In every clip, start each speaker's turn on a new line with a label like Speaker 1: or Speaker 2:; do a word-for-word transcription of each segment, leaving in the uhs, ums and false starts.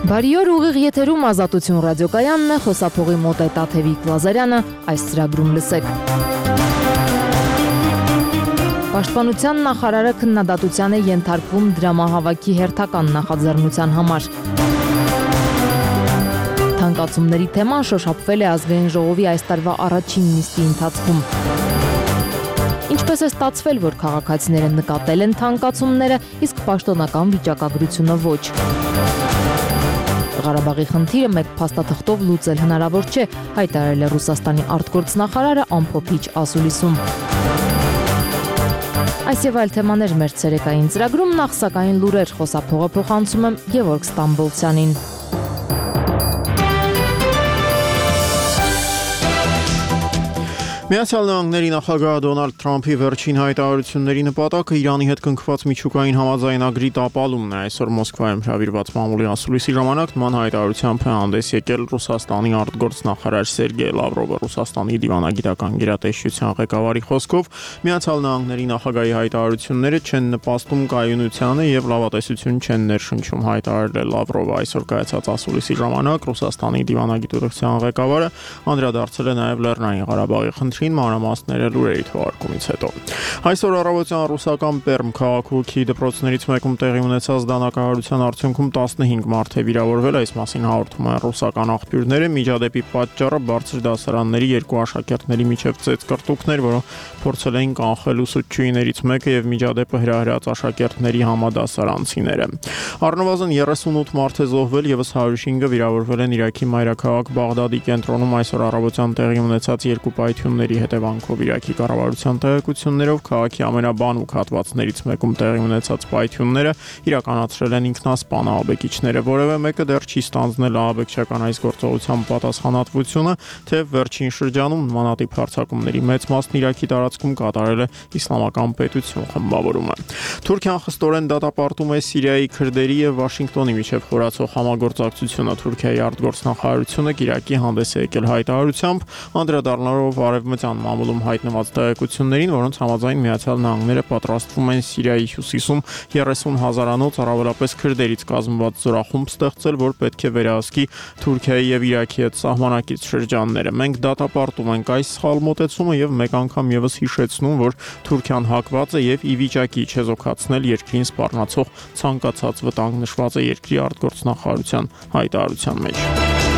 Speaker 1: Բարի օր, ուղիղ եթերում Ազատություն ռադիոկայանն է, խոսափողի մոտ է Տաթևիկ Լազարյանը, այս ծրագրում լսեք։ Պաշտպանության նախարարը քննադատության է ենթարկվում դրամահավաքի հերթական նախաձեռնության համար։ Թանկացումների թեման շոշափվել է ազգային ժողովի այս տարվա առաջին նիստի ընթացքում։ Ինչպես է ստացվել, որ քաղաքացիները նկատել են թանկացումները, իսկ պաշտոնական վիճակագրությունը ոչ։ Ղարաբաղի խնդիրը մեկ փաստաթղթով լուծել հնարավոր չէ, հայտարարել է Ռուսաստանի արտգործնախարարը ամփոփիչ ասուլիսում։ Այս եւ այլ թեմաներ մեր ցերեկային ծրագրում, նախ սակայն լուրեր, խոսափողը փոխանցում եմ Գևորգ Ստամբոլցյանին։
Speaker 2: Միացյալ Նահանգների նախագահ Դոնալդ Թրամփի վերջին հայտարարությունների նպատակը Իրանի հետ կնքված միջուկային համաձայնագրի տապալումն է։ Այսօր Մոսկվայում հրավիրված մամուլի ասուլիսի ժամանակ նման հայտարարությամբ է հանդես եկել Ռուսաստանի արտգործնախարար Սերգեյ Լավրովը։ Ռուսաստանի դիվանագիտական գերատեսչության ղեկավարի խոսքով Միացյալ Նահանգների նախագահի հայտարարությունները չեն նպաստում կայունությանը եւ լավատեսություն չեն ներշնչում, հայտարարել է Լավրովը։ Այսօր կայացած ասուլիսի ժամանակ Ռուսաստանի դիվանագիտության ղեկավարը անդրադարձել է նաեւ Լեռնային Ղարաբաղի խնդրին, մանրամասները լուրերի թողարկումից հետո։ Այսօր առավոտյան ռուսական Պերմ քաղաքի դպրոցներից մեկում տեղի ունեցած դանակահարության արդյունքում տասնհինգ մարդ է վիրավորվել, այս մասին հաղորդում են ռուսական աղբյուրները։ Միջադեպի պատճառը բարձր դասարանների երկու աշակերտների միջև ծեծկռտուքներ, որոնք փորձել էին կանխել ուսուցչուհիներից մեկը եւ միջադեպը հրահրած աշակերտների համադասարանցիները։ Առնվազն երեսունութ մարդ է զոհվել, եւս հարյուր հինգը վիրավորվել են Իրաքի մայրաքաղաք Բաղդադի կենտրոնում այսօր առավոտյան տեղի ունեցած երկու պայթյունների հետևանքով։ Իրաքի կառավարության տեղեկություններով քաղաքի ամենաբանուկ հատվածներից մեկում տեղի ունեցած պայթյունները իրականացրել են ինքնասպան ահաբեկիչները։ Որևէ մեկը դեռ չի ստանձնել ահաբեկչական այս գործողության պատասխանատվությունը, թե վերջին շրջանում նմանատիպ հարձակումների մեծ մասն Իրաքի տարածքում կատարել է Իսլամական պետություն խմբավորումը։ Թուրքիան խստորեն դատապարտում է Սիրիայի քրդերի եւ Վաշինգտոնի միջև խորացող համագործակցությունը։ Թուրքիայի արտգործնախարարությունը Իրաքի հանդես է եկել հայտարարությամբ, անդրադառնալով արևմտյան մամուլում հայտնված տեղեկություններին, որոնց համաձայն Միացյալ Նահանգները պատրաստվում են Սիրիայի հյուսիսում երեսուն հազարանոց առավելապես քրդերից կազմված զորախումբ ստեղծել, որ պետք է վերահսկի Թուրքիայի եւ Իրաքի հետ սահմանակից շրջանները։ Մենք դատապարտում ենք այս սխալ մոտեցումը եւ մեկ անգամ եւս հիշեցնում, որ Թուրքիան հակված է եւ ի վիճակի չեզոքացնել երկրին սպառնացող ցանկացած վտանգ, նշված է երկրի արտգործնախարարության հայտարարության մեջ։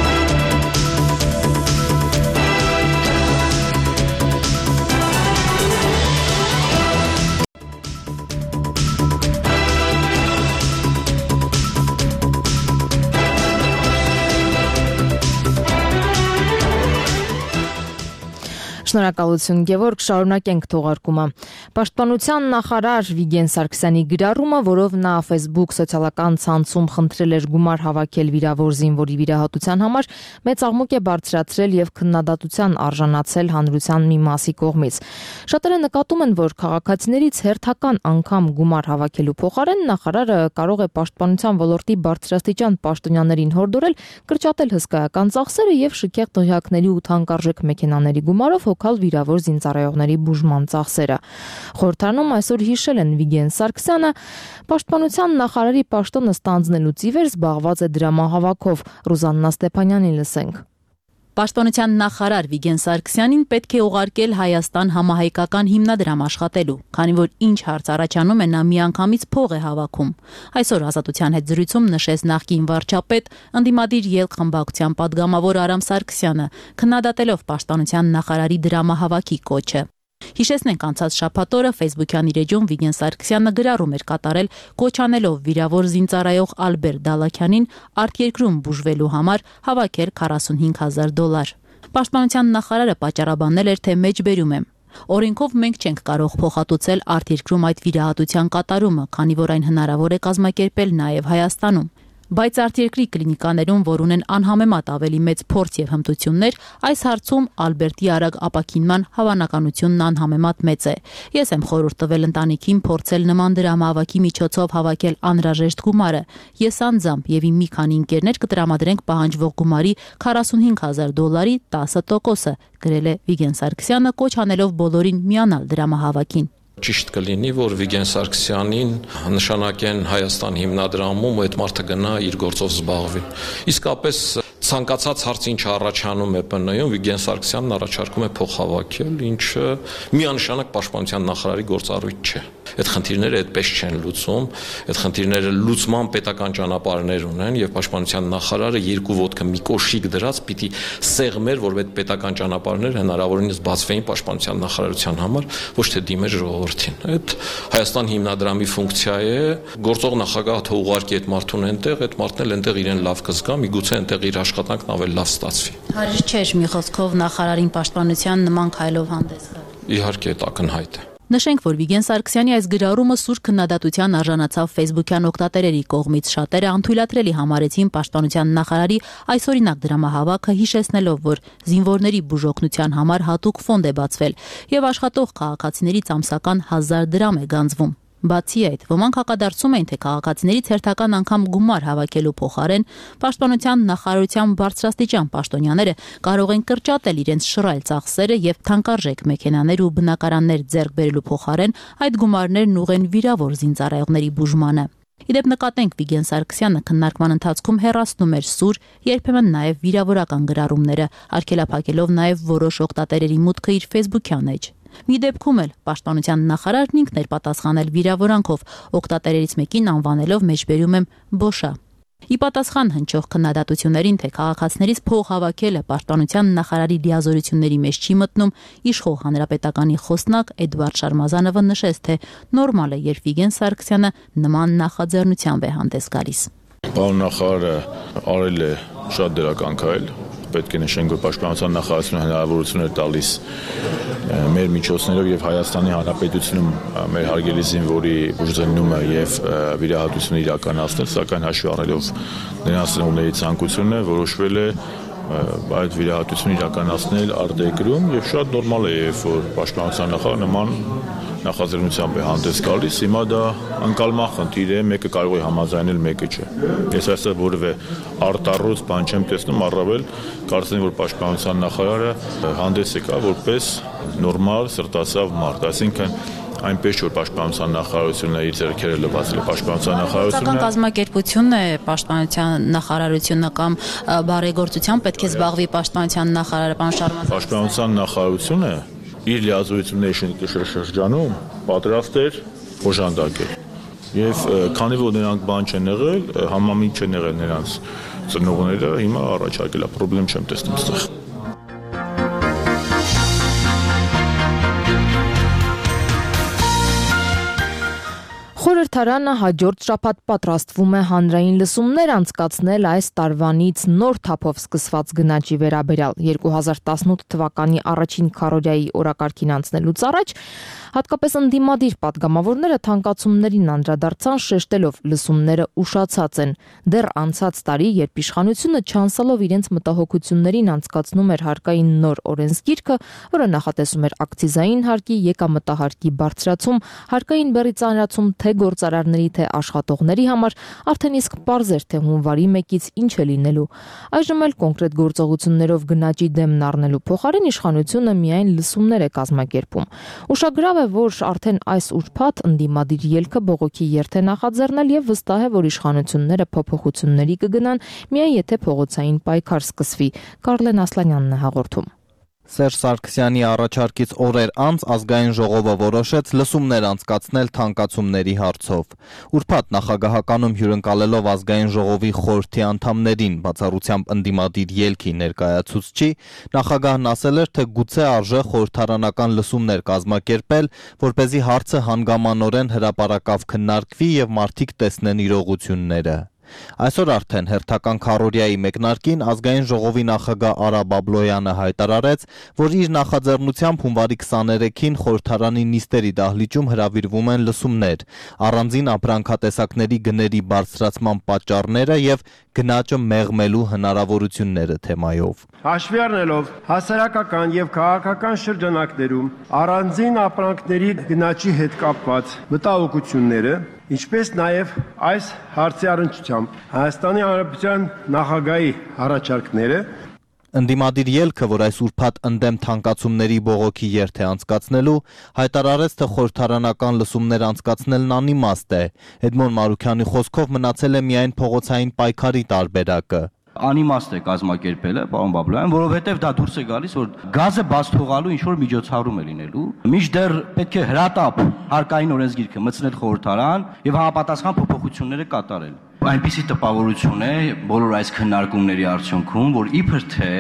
Speaker 1: Շնորհակալություն Գևորգ, շարունակենք թողարկումը։ Պաշտպանության նախարար Վիգեն Սարգսյանի գրառումը, որով նա Facebook սոցիալական ցանցում խնդրել էր գումար հավաքել վիրավոր զինվորի վիրահատության համար, մեծ աղմուկ է բարձրացրել եւ քննադատության արժանացել հանրության մի մասի կողմից։ Շատերը նկատում են, որ քաղաքացիներից հերթական անգամ գումար հավաքելու փոխարեն նախարարը կարող է պաշտպանության ոլորտի բարձրաստիճան պաշտոնյաներին հորդորել կրճատել հսկայական ծախսերը եւ շքեղ դղյակների ու թանկարժեք մեքենաների գումարով հոգալ վիրավոր զինծառայողների բուժման ծախսերը։ Խորհրդարանում այսօր հիշել են Վիգեն Սարգսյանը, պաշտպանության նախարարի պաշտոնը ստանձնելուց ի վեր զբաղված է դրամահավաքով։ Ռուզաննա Ստեփանյանին լսենք։
Speaker 3: Պաշտպանության նախարար Վիգեն Սարգսյանին պետք է ուղարկել Հայաստան համահայկական հիմնադրամ աշխատելու, քանի որ ինչ հարց առաջանում է, նա միանգամից փող է հավաքում։ Այսօր Ազատության հետ զրույցում նշեց նախկին վարչապետ, ընդդիմադիր ելք խմբակցության падգամավոր Արամ Սարգսյանը, քննադատելով պաշտպանության նախարարի դրամահավաքի կոչը։ Հիշեցնենք, անցած շաբաթ օրը Facebook-յան իր էջում Վիգեն Սարգսյանը գրառում էր կատարել, կոչ անելով վիրավոր զինծառայող Ալբերտ Դալաքյանին արտերկրում բուժվելու համար հավաքել քառասունհինգ հազար դոլար։ Պաշտպանության նախարարը պատճառաբանել էր, թե մեջբերում եմ։ Օրենքով մենք չենք կարող փոխհատուցել արտերկրում այդ վիրահատության կատարումը, քանի որ այն հնարավոր է կազմակերպել նաև Հայաստանում։ Բայց արտերկրի կլինիկաներում, որ ունեն անհամեմատ ավելի մեծ փորձ եւ հմտություններ, այս հարցում Ալբերտի արագ ապաքինման հավանականությունն անհամեմատ մեծ է։ Ես եմ խորհուրդ տվել ընտանիքին փորձել նման դրամահավաքի միջոցով հավաքել անհրաժեշտ գումարը։ Ես անձամբ եւ իմ մի քանի ընկերներ կտրամադրենք պահանջվող գումարի քառասունհինգ հազար դոլարի տասը տոկոսը, գրել է Վիգեն Սարգսյանը, կոչ անելով բոլորին միանալ դրամահավաքին։
Speaker 4: Ճիշտ կլինի, որ Վիգեն Սարգսյանին նշանակեն Հայաստան հիմնադրամում ու այդ մարդը գնա իր գործով զբաղվի։ Իսկապես ցանկացած հարց ինչ առաջանում է Պ Ն-ում, Վիգեն Սարգսյանն առաջարկում է փող հավաքել, ինչը միանշանակ պաշտպանության նախարարի գործառույթ չէ։ Այդ խնդիրները այդպես չեն լուծում, այդ խնդիրները լուծման պետական ճանապարհներ ունեն եւ պաշտպանության նախարարը երկու ոտքը մի կոշիկ դրած պիտի սեղմեր, որ այդ պետական ճանապարհներ հնարավորինս բացվեին պաշտպանության նախարարության համար, ոչ թե դիմեր ժողովրդին։ Այդ Հայաստան հիմնադրամի ֆունկցիա է, գործող նախագահը թող ուղարկի այդ մարդուն այնտեղ, այդ մարդն էլ այնտեղ իրեն լավ կզգա, միգուցե այնտեղ իր աշխատանքն ավելի լավ ստացվի։
Speaker 3: Հարիշ չէր մի խոսքով նախարարին պաշտպանության նման քայլով հանդես գալ։
Speaker 4: Իհարկե դա ակնհայտ է։
Speaker 3: Նշենք, որ Վիգեն Սարգսյանի այս գրառումը սուր քննադատության արժանացավ ֆեյսբուքյան օգտատերերի կողմից, շատերը անթույլատրելի համարեցին պաշտպանության նախարարի այսօրինակ դրամահավաքը, հիշեցնելով, որ զինվորների բուժօգնության համար հատուկ ֆոնդ է բացվել եւ աշխատող քաղաքացիներից ամսական հազար դրամ է գանձվում։ Բացի այդ, ոմանք հակադարձում էին, թե քաղաքացիներից հերթական անգամ գումար հավաքելու փոխարեն պաշտպանության նախարարության բարձրաստիճան պաշտոնյաները կարող են կրճատել իրենց շռայլ ծախսերը եւ թանկարժեք մեքենաներ ու բնակարաններ ձեռք բերելու փոխարեն այդ գումարներն ուղղեն վիրավոր զինծառայողների բուժմանը։ Իդեպ նկատենք Վիգեն Սարգսյանը քննարկման ընթացքում հեռացնում էր սուր, երբեմն նաև վիրավորական գրառումները, արգելափակելով նաև որոշ օգտատերերի մուտքը իր ֆեյսբուքյան էջ։ Մի դեպքում էլ պաշտպանության նախարարն ինքն էր պատասխանել վիրավորանքով, օգտատերերից մեկին անվանելով մեջբերում եմ Բոշա։ Ի պատասխան հնչող քննադատություններին, թե քաղաքացիներից փող հավաքելը պաշտպանության նախարարի լիազորությունների մեջ չի մտնում, իշխող հանրապետականի խոսնակ Էդվարդ Շարմազանովը նշեց, թե նորմալ է, երբ Վիգեն Սարգսյանը նման նախաձեռնությամբ է հանդես գալիս։
Speaker 5: Պարոն նախարարը արել է շատ դրական քայլ, պետք է նշենք, որ պաշտպանության նախարարությունը հնարավորություն էր տալիս մեր միջոցներով եւ Հայաստանի Հանրապետությունում մեր հարգելի զինվորի բուժզննումը եւ վիրահատությունը իրականացնել, սակայն հաշվի առնելով նրանց ծնողների ցանկությունը որոշվել է այդ վիրահատությունը իրականացնել արտերկրում եւ շատ նորմալ է, երբ որ պաշտպանության նախարարը նման նախաձեռնությամբ է հանդես գալիս, հիմա դա անկալման խնդիր է, մեկը կարող է համաձայնել, մեկը չէ։ Ես այստեղ որևէ արտառոց բան չեմ տեսնում, առավել կարծեմ, որ պաշտպանության նախարարը հանդես եկա որպես նորմալ սրտասավ մարդ, այսինքն այնպես որ պաշտպանության նախարարությունը իր ձեռքերը լվացել է, պաշտպանության նախարարությունը
Speaker 3: կազմակերպությունն է, պաշտպանության նախարարությունը կամ բարեգործությամբ պետք է զբաղվի պաշտպանության նախարարը, պարոն Շարմազան։
Speaker 5: Պաշտպանության նախարարությունը իր լիազորությունների շրջանում պատրաստ էր օժանդակել։ Եվ քանի որ նրանք բան չեն եղել, համամիտ չեն եղել նրանց ծնողները, հիմա առաջարկել է, խնդրեմ չեմ տեսնում այստեղ։
Speaker 1: Խորհրդարանը հաջորդ շաբաթ պատրաստվում է հանրային լսումներ անցկացնել այս տարվանից նոր թափով սկսված գնաճի վերաբերյալ երկու հազար տասնութ թվականի առաջին քառորյայի օրակարգին անցնելուց առաջ հատկապես ընդդիմադիր պատգամավորները թանկացումներին անդրադարձան, շեշտելով լսումները ուշացած են։ Դեռ անցած տարի, երբ իշխանությունը չանցալով իրենց մտահոգություններին անցկացնում էր հարկային նոր օրենսգիրքը, որը նախատեսում էր ակցիզային հարկի, եկամտահարկի բարձրացում, հարկային բեռի ծանրացում թե գործարարների, թե աշխատողների համար, արդեն իսկ պարզ էր, թե հունվարի մեկից ինչ է լինելու։ Այժմ էլ կոնկրետ գործողություններով գնաճի դեմն առնելու փոխարեն իշխանությունը միայն լսումներ է կազմակերպում։ Ուշագրավ է, որ արդեն այս ուրբաթ ընդդիմադիր ելքը բողոքի երթ է նախաձեռնել եւ վստահ է, որ իշխանությունները փոփոխությունների կգնան, միայն եթե փողոցային պայքար սկսվի։ Կարլեն Ասլանյանն է հաղորդում։
Speaker 6: Սերժ Սարգսյանի առաջարկից օրեր անց ազգային ժողովը որոշեց լսումներ անցկացնել թանկացումների հարցով։ Ուրբաթ նախագահականում հյուրընկալելով ազգային ժողովի խորհրդի անդամներին, բացառությամբ ընդդիմադիր ելքի ներկայացուցչի, նախագահն ասել էր, թե գուցե արժե խորհրդարանական լսումներ կազմակերպել, որպեսզի հարցը հանգամանորեն հրապարակավ քննարկվի եւ մարդիկ տեսնեն իրողությունները։ Այսօր արդեն հերթական քառորյայի մեկնարկին ազգային ժողովի նախագահ Արա Բաբլոյանը հայտարարեց, որ իր նախաձեռնությամբ հունվարի քսաներեքին խորհրդարանի նիստերի դահլիճում հրավիրվում են լսումներ, առանձին ապրանքատեսակների գների բարձրացման պատճառները եւ գնաճը մեղմելու հնարավորությունները թեմայով։
Speaker 7: Հաշվի առնելով հասարակական եւ քաղաքական շրջանակներում առանձին ապրանքների գնաճի հետ կապված մտահոգությունները, ինչպես նաև այս հարցի առնչությամբ Հայաստանի Հանրապետության նախագահի առաջարկները,
Speaker 6: Ընդդիմադիր ելքը, որ այս ուրբաթ ընդդեմ թանկացումների բողոքի երթ է անցկացնելու, հայտարարեց, թե խորհրդարանական լսումներ անցկացնելն անիմաստ է։ Էդմոն Մարուքյանի խոսքով մնացել է միայն փողոցային պայքարի տարբերակը։
Speaker 8: Անիմաստ է կազմակերպելը, պարոն Բաբլոյան, որովհետև դա դուրս է գալիս, որ գազը բաց թողալու ինչ որ միջոցառում է լինելու։ Մինչդեռ պետք է հրատապ հարկային օրենսգիրքը մտցնել խորհրդարան եւ համապատասխան փոփոխությունները կատարել։ Այնպիսի տպավորություն է բոլոր այս քննարկումների արդյունքում, որ իբր թե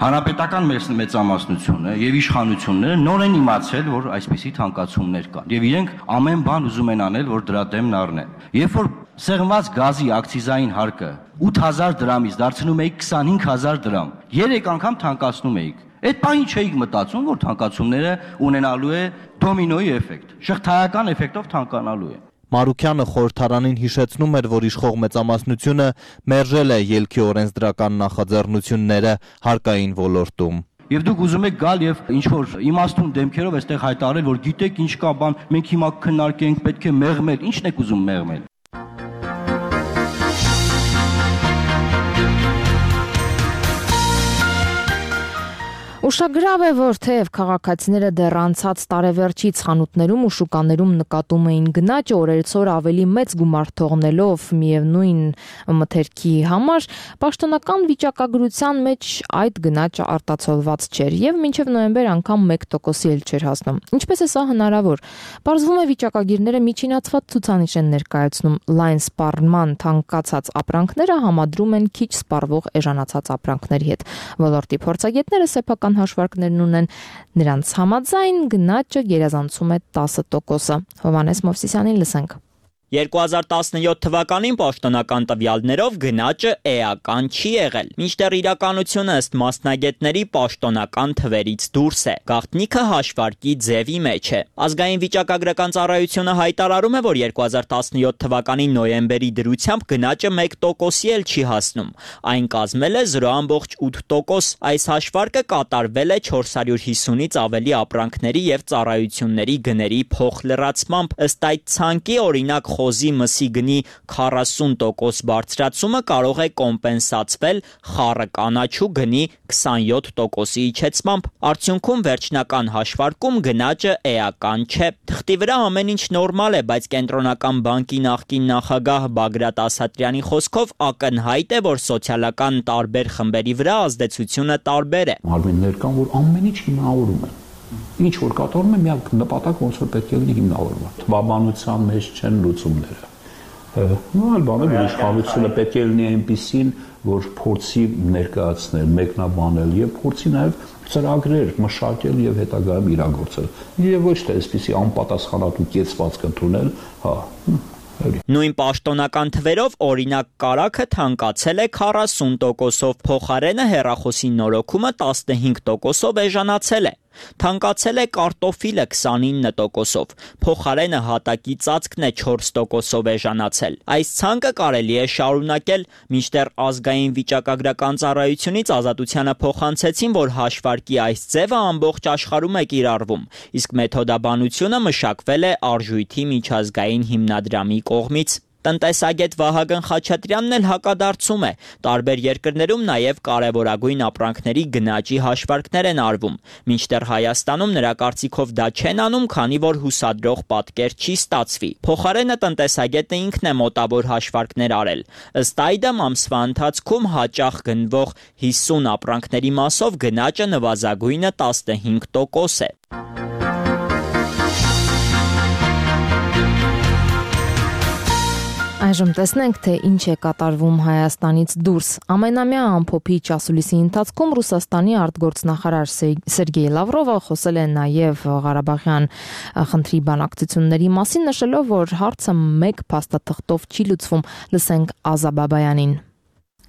Speaker 8: հանրապետական մեծամասնությունը եւ իշխանությունները նոր են իմացել, որ այսպիսի թանկացումներ կան եւ իրենք ամեն բան ուզում են անել, որ դրա դեմն առնեն։ Երբ որ սեղմված գազի ակցիզային հարկը ութ հազար դրամից դարձնում էիք քսանհինգ հազար դրամ, երեք անգամ թանկացնում էիք։ Այդ բանի չէիք մտածում, որ թանկացումները ունենալու է դոմինոյի էֆեկտ, շղթայական էֆեկտով թանկանալու է։
Speaker 6: Մարուքյանը խորհրդարանին հիշեցնում էր, որ իշխող մեծամասնությունը մերժել է ելքի օրենսդրական նախաձեռնությունները հարկային ոլորտում։
Speaker 8: Եվ դուք ուզում եք գալ եւ ինչ որ իմաստուն դեմքերով այստեղ հայտարարել, որ գիտեք ինչ կա բան, մենք հիմա քննարկենք, պետք է մեղմել, ի՞նչն եք ուզում մեղմել։
Speaker 1: Ուշագրավ է, որ թեև քաղաքացիները դեռ անցած տարեվերջից խանութներում ու շուկաներում նկատում էին գնաճը օրերցօր ավելի մեծ գումար թողնելով միևնույն մթերքի համար, պաշտոնական վիճակագրության մեջ այդ գնաճը արտացոլված չէր եւ մինչեւ նոյեմբեր անգամ մեկ տոկոսի էլ չէր հասնում։ Ինչպես է սա հնարավոր։ Պարզվում է վիճակագիրները միջինացված ցուցանիշ են ներկայացնում, լայն սպառման թանկացած ապրանքները համադրում են քիչ սպառվող էժանացած ապրանքների հետ։ Ոլորտի փորձագետները սեփական հաշվարկներն ունեն, նրանց համաձայն գնաճը գերազանցում է տասը տոկոսը։ Հովհաննես Մովսիսյանին լսենք։
Speaker 9: երկու հազար տասնյոթ թվականին պաշտոնական տվյալներով գնաճը էական չի եղել, մինչդեռ իրականությունը ըստ մասնագետների պաշտոնական թվերից դուրս է, գաղտնիքը հաշվարկի ձևի մեջ է։ Ազգային վիճակագրական ծառայությունը հայտարարում է, որ երկու հազար տասնյոթ թվականի նոյեմբերի դրությամբ գնաճը մեկ տոկոսի էլ չի հասնում, այն կազմել է զրո բացարձակ ութ տոկոս, այս հաշվարկը կատարվել է չորս հարյուր հիսունից ավելի ապրանքների եւ ծառայությունների գների փոխլրացմամբ, ըստ այդ ցանկի օրինակ խոզի մսի գնի քառասուն տոկոս բարձրացումը կարող է կոմպենսացվել խառը կանաչու գնի քսանյոթ տոկոսի իջեցմամբ։ Արդյունքում վերջնական հաշվարկում գնաճը էական չէ։ Թղթի վրա ամեն ինչ նորմալ է, բայց կենտրոնական բանկի նախկին նախագահ Բագրատ Ասատրյանի խոսքով ակնհայտ է, որ սոցիալական տարբեր խմբերի վրա ազդեցությունը տարբեր է։
Speaker 10: Մարմիններ կան, որ ամեն ինչ հիմնավորում են։ Ինչ որ կատարում է, միակ նպատակ ոնց որ պետք է լինի հիմնավորված։ Թվաբանության մեջ չեն լուծումները։ Ու այլ բաներ, որ իշխանությունը պետք է լինի այնպիսին, որ փորձի ներկայացնել, մեկնաբանել եւ փորձի նաեւ ծրագրեր մշակել եւ հետագայում իրագործել։ Եվ ոչ թե այսպիսի անպատասխանատու կեցվածք ընդունել, հա։
Speaker 9: Նույն պաշտոնական թվերով օրինակ կարագը թանկացել է քառասուն տոկոսով, փոխարենը հեռախոսի նորոգումը տասնհինգ տոկոսով էժանացել է։ Թանկացել է կարտոֆիլը քսանինը տոկոսով, փոխարենը հատակի ծածկն է չորս տոկոսով էժանացել։ Այս ցանկը կարելի է շարունակել, մինչդեռ ազգային վիճակագրական ծառայությունից Ազատությանը փոխանցեցին, որ հաշվարկի այս ձևը ամբողջ աշխարհում է կիրառվում, իսկ մեթոդաբանությունը մշակվել է Արժույթի միջազգային հիմնադրամի կողմից։ Տնտեսագետ Վահագն Խաչատրյանն էլ հակադարձում է, տարբեր երկրներում նաև կարևորագույն ապրանքների գնաճի հաշվարկներ են արվում, մինչդեռ Հայաստանում նրա կարծիքով դա չեն անում, քանի որ հուսադրող պատկեր չի ստացվի։ Փոխարենը տնտեսագետը ինքն է մոտավոր հաշվարկներ արել։ Ըստ այդմ ամսվա ընթացքում հաճախ գնվող հիսուն ապրանքների մասով գնաճը նվազագույնը տասնհինգ տոկոս է։
Speaker 1: Այժմ տեսնենք, թե ինչ է կատարվում Հայաստանից դուրս։ Ամենամյա ամփոփիչ ասուլիսի ընթացքում Ռուսաստանի արտգործնախարար Սերգեյ Լավրովը խոսել է նաև Ղարաբաղյան խնդրի բանակցությունների մասին, նշելով, որ հարցը մեկ փաստաթղթով չի լուծվում։ Լսենք Ազա Բաբայանին։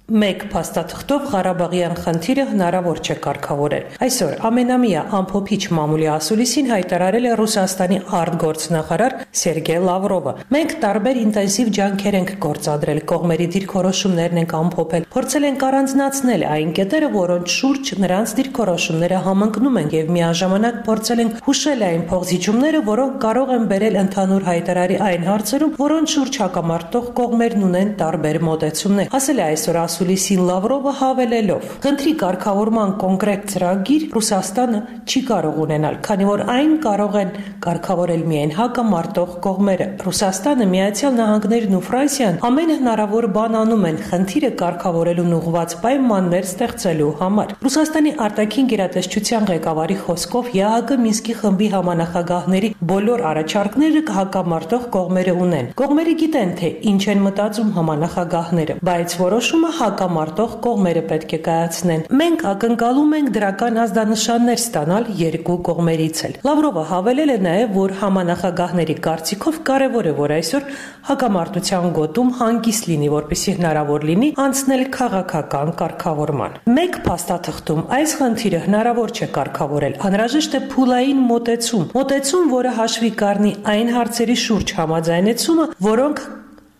Speaker 11: Մեկ փաստաթղթով Ղարաբաղյան խնդիրը հնարավոր չէ կարգավորել։ Այսօր ամենամյա ամփոփիչ մամուլի ասուլիսին հայտարարել է Ռուսաստանի արտգործնախարար Սերգեյ Լավրովը։ Մենք տարբեր ինտենսիվ ջանքեր ենք գործադրել, կողմերի դիրքորոշումներն ենք ամփոփել, փորձել ենք առանձնացնել այն կետերը, որոնց շուրջ նրանց դիրքորոշումները համընկնում են, եւ միաժամանակ փորձել ենք հուշել այն փոխզիջումները, որոնք կարող են բերել ընդհանուր հայտարարի այն հարցերում, որոնց շուրջ հակամարտող կողմերն ունեն տարբեր մոտեցումներ։ Ասել է այսօր ասուլիսին Լավրովը հավելելով. «Խնդրի կարգավորման կոնկրետ ծրագիր Ռուսաստանը չի կարող ունենալ, քանի որ այն կարող են կարգավորել միայն հակամարտող կողմերը։ Ռուսաստանը, Միացյալ Նահանգներն ու Ֆրանսիան ամեն հնարավոր բան անում են խնդիրը կարգավորելուն ուղղված պայմաններ ստեղծելու համար»։ Ռուսաստանի արտաքին գերատեսչության ղեկավարի խոսքով ԵԱՀԿ Մինսկի խմբի համանախագահների բոլոր առաջարկները հակամարտող կողմերը ունեն։ Կողմերը գիտեն, թե ինչ են մտածում համանախագահները, բայց որոշումը հակամարտող կողմերը պետք է կայացնեն։ Մենք ակնկալում ենք դրական ազդանշաններ ստանալ երկու կողմերից էլ։ Լավրովը հավելել է նաև, որ համանախագահների կարծիքով կարևոր է, որ այսօր հակամարտության գոտում հանգիստ լինի, որպեսզի հնարավոր լինի անցնել քաղաքական կարգավորման։ Մեկ փաստաթղթում այս խնդիրը հնարավոր չէ կարգավորել, անհրաժեշտ է փուլային մոտեցում, մոտեցում, որը հաշվի կառնի այն հարցերի շուրջ համաձայնեցումը, որոնք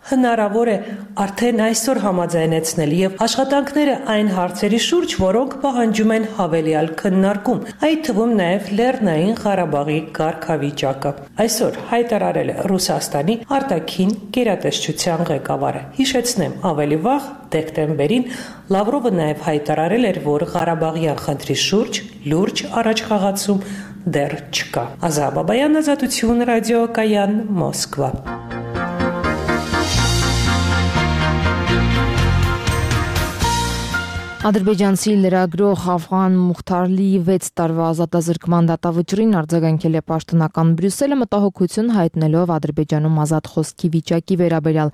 Speaker 11: հնարավոր է արդեն այսօր համաձայնեցնել եւ աշխատանքները այն հարցերի շուրջ, որոնք պահանջում են հավելյալ քննարկում, այդ թվում նաեւ Լեռնային Ղարաբաղի կարգավիճակը։ Այսօր հայտարարել է Ռուսաստանի արտաքին գերատեսչության ղեկավարը։ Հիշեցնեմ, ավելի վաղ դեկտեմբերին Լավրովը նաեւ հայտարարել էր, որ Ղարաբաղյան խնդրի շուրջ լուրջ առաջխաղացում դեռ չկա։ Ազա Բաբայան, Ազատություն, ռադիոկայան, Մոսկվա։
Speaker 1: Ադրբեջանցի լրագրող Աֆղան Մուխթարլիի վեց տարվա ազատազրկման դատավճռին արձագանքել է պաշտոնական Բրյուսելը, մտահոգություն հայտնելով Ադրբեջանում ազատ խոսքի վիճակի վերաբերյալ։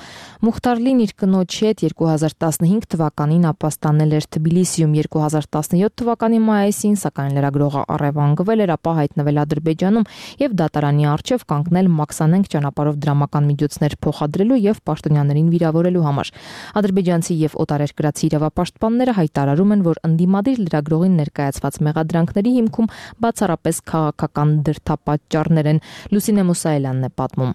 Speaker 1: Մուխթարլին իր կնոջ հետ երկու հազար տասնհինգ թվականին ապաստանել էր Թբիլիսիում, երկու հազար տասնյոթ թվականի մայիսին, սակայն լրագրողը առևանգվել էր, ապա հայտնվել Ադրբեջանում եւ դատարանի առջեւ կանգնել մաքսանենգ ճանապարհով դրամական միջոցներ փոխադրելու եւ պաշտոնյաներին վիրավորելու համար։ Ադրբեջանցի եւ օտարերկրացի իրավապաշտպանները հայտարարում են, որ ընդդիմադիր լրագրողին ներկայացված մեղադրանքների հիմքում բացառապես քաղաքական դրդապատճառներ են։ Լուսինե Մուսայելյանն է պատմում։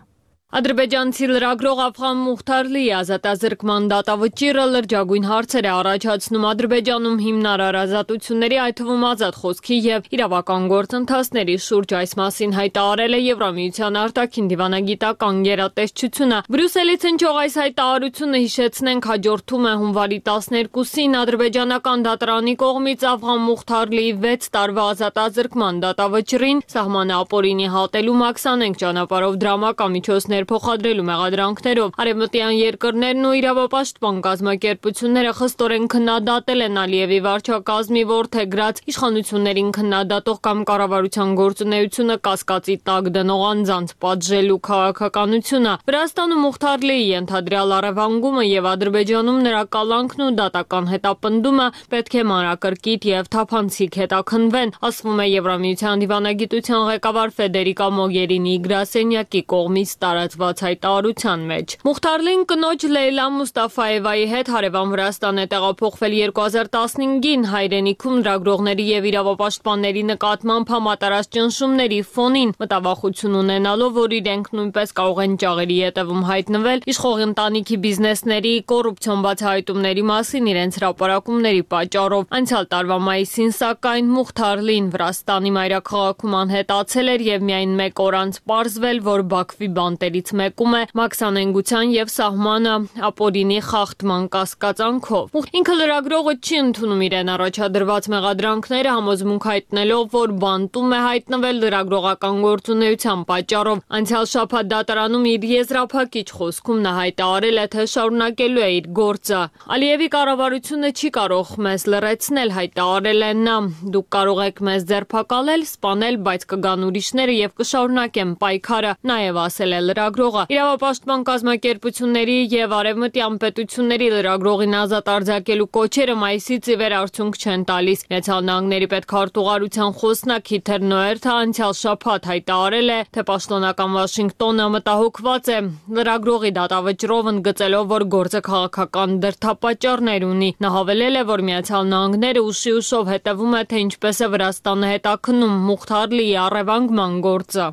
Speaker 12: Ադրբեջանցի լրագրող Աֆղան Մուխթարլիի ազատազրկման դատավճիռը լրջագույն հարցեր է առաջացնում Ադրբեջանում հիմնարար ազատությունների, այդ թվում ազատ խոսքի եւ իրավական գործընթացների շուրջ։ Այս մասին հայտարարել է Եվրամիության արտաքին դիվանագիտական գերատեսչությունը։ Բրյուսելից հնչող այս հայտարարությունը, հիշեցնենք, հաջորդում է հունվարի տասներկուսին ադրբեջանական դատարանի կողմից Աֆղան Մուխթարլիի վեց տարվա ազատազրկման դատավճռին սահմանը ապօրինի հատելու մաքսանենգ ճանապարհով դրամական միջոցներ փոխադրելու մեղադրանքներով արևմտյան երկրներն ու իրավապաշտպան կազմակերպությունները խստորեն քննադատել են Ալիևի վարչակազմի որդեգրած իշխանություններին քննադատող կամ կառավարության գործունեությունը կասկածի տակ դնող անձանց պատժելու քաղաքականությունը։ Վրաստանում Մուխթարլիի ենթադրյալ առևանգումը եւ Ադրբեջանում նրա կալանքն ու դատական հետապնդումը պետք է մանրակրկիտ եւ թափանցիկ հետաքննվեն, ասվում է Եվրամիության դիվանագիտության ղեկավար Ֆեդերիկա Մոգերինիի գրասենյակի կողմից տարածված հայտարարության մեջ։ Մուխթարլին կնոջ Լեյլա Մուստաֆայևայի հետ հարևան Վրաստան է տեղափոխվել երկու հազար տասնհինգին հայրենիքում լրագրողների եւ իրավապաշտպանների նկատմամբ համատարած ճնշումների ֆոնին, մտավախություն ունենալով, որ իրենք նույնպես կարող են ճաղերի ետևում հայտնվել իշխող ընտանիքի բիզնեսների կոռուպցիոն բացահայտումների մասին իրենց հրապարակումների պատճառով։ Անցյալ տարվա մայիսին, սակայն, Մուխթարլին Վրաստանի մայրաքաղաքում անհետացել էր եւ միայն մեկ օր անց պարզվել, որ Բաքվի բանտերից մեկում է մաքսանենգության եւ սահմանը ապօրինի խախտման կասկածանքով։ Ինքը լրագրողը չի ընդունում իրեն առաջադրված մեղադրանքները, համոզմունք հայտնելով, որ բանտում է հայտնվել լրագրողական գործունեության պատճառով։ Անցյալ շաբաթ դատարանում իր եզրափակիչ խոսքում նա հայտարարել է, թե շարունակելու է իր գործը։ Ալիևի կառավարությունը չի կարող մեզ լռեցնել, հայտարարել է նա։ Դուք կարող եք մեզ ձերբակալել, սպանել, բայց կգան ուրիշները եւ կշարունակեն պայքարը, նաեւ ասել է լրագրողը։ Իրավապաշտպան կազմակերպությունների եւ արևմտյան պետությունների լրագրողին ազատ արձակելու կոչերը մայիսից ի վեր արդյունք չեն տալիս։ Միացյալ Նահանգների պետքարտուղարության խոսնակ Հիթեր Նոերթը անցյալ շաբաթ հայտարարել է, թե պաշտոնական Վաշինգտոնը մտահոգված է լրագրողի դատավճռով, ընդգծելով, որ գործը քաղաքական դրդապատճառներ ունի։ Նա հավելել է, որ Միացյալ Նահանգները ուշի ուշով հետևում է, թե ինչպես է Վրաստանը հետաքննում Մուխթարլիի առևանգման գործը։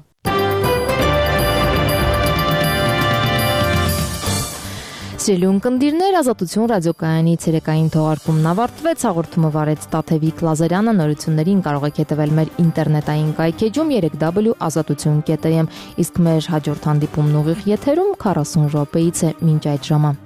Speaker 1: Սիրելի ունկնդիրներ, Ազատություն ռադիոկայանի ցերեկային թողարկումն ավարտվեց, հաղորդումը վարեց Տաթևիկ Լազարյանը, նորություններին կարող եք հետևել մեր ինտերնետային կայքեջում երեք w ազատություն կետ am, իսկ մեր հաջորդ հանդիպումն ուղիղ եթերում քառասուն րոպեից է մինչ այդ ժամը։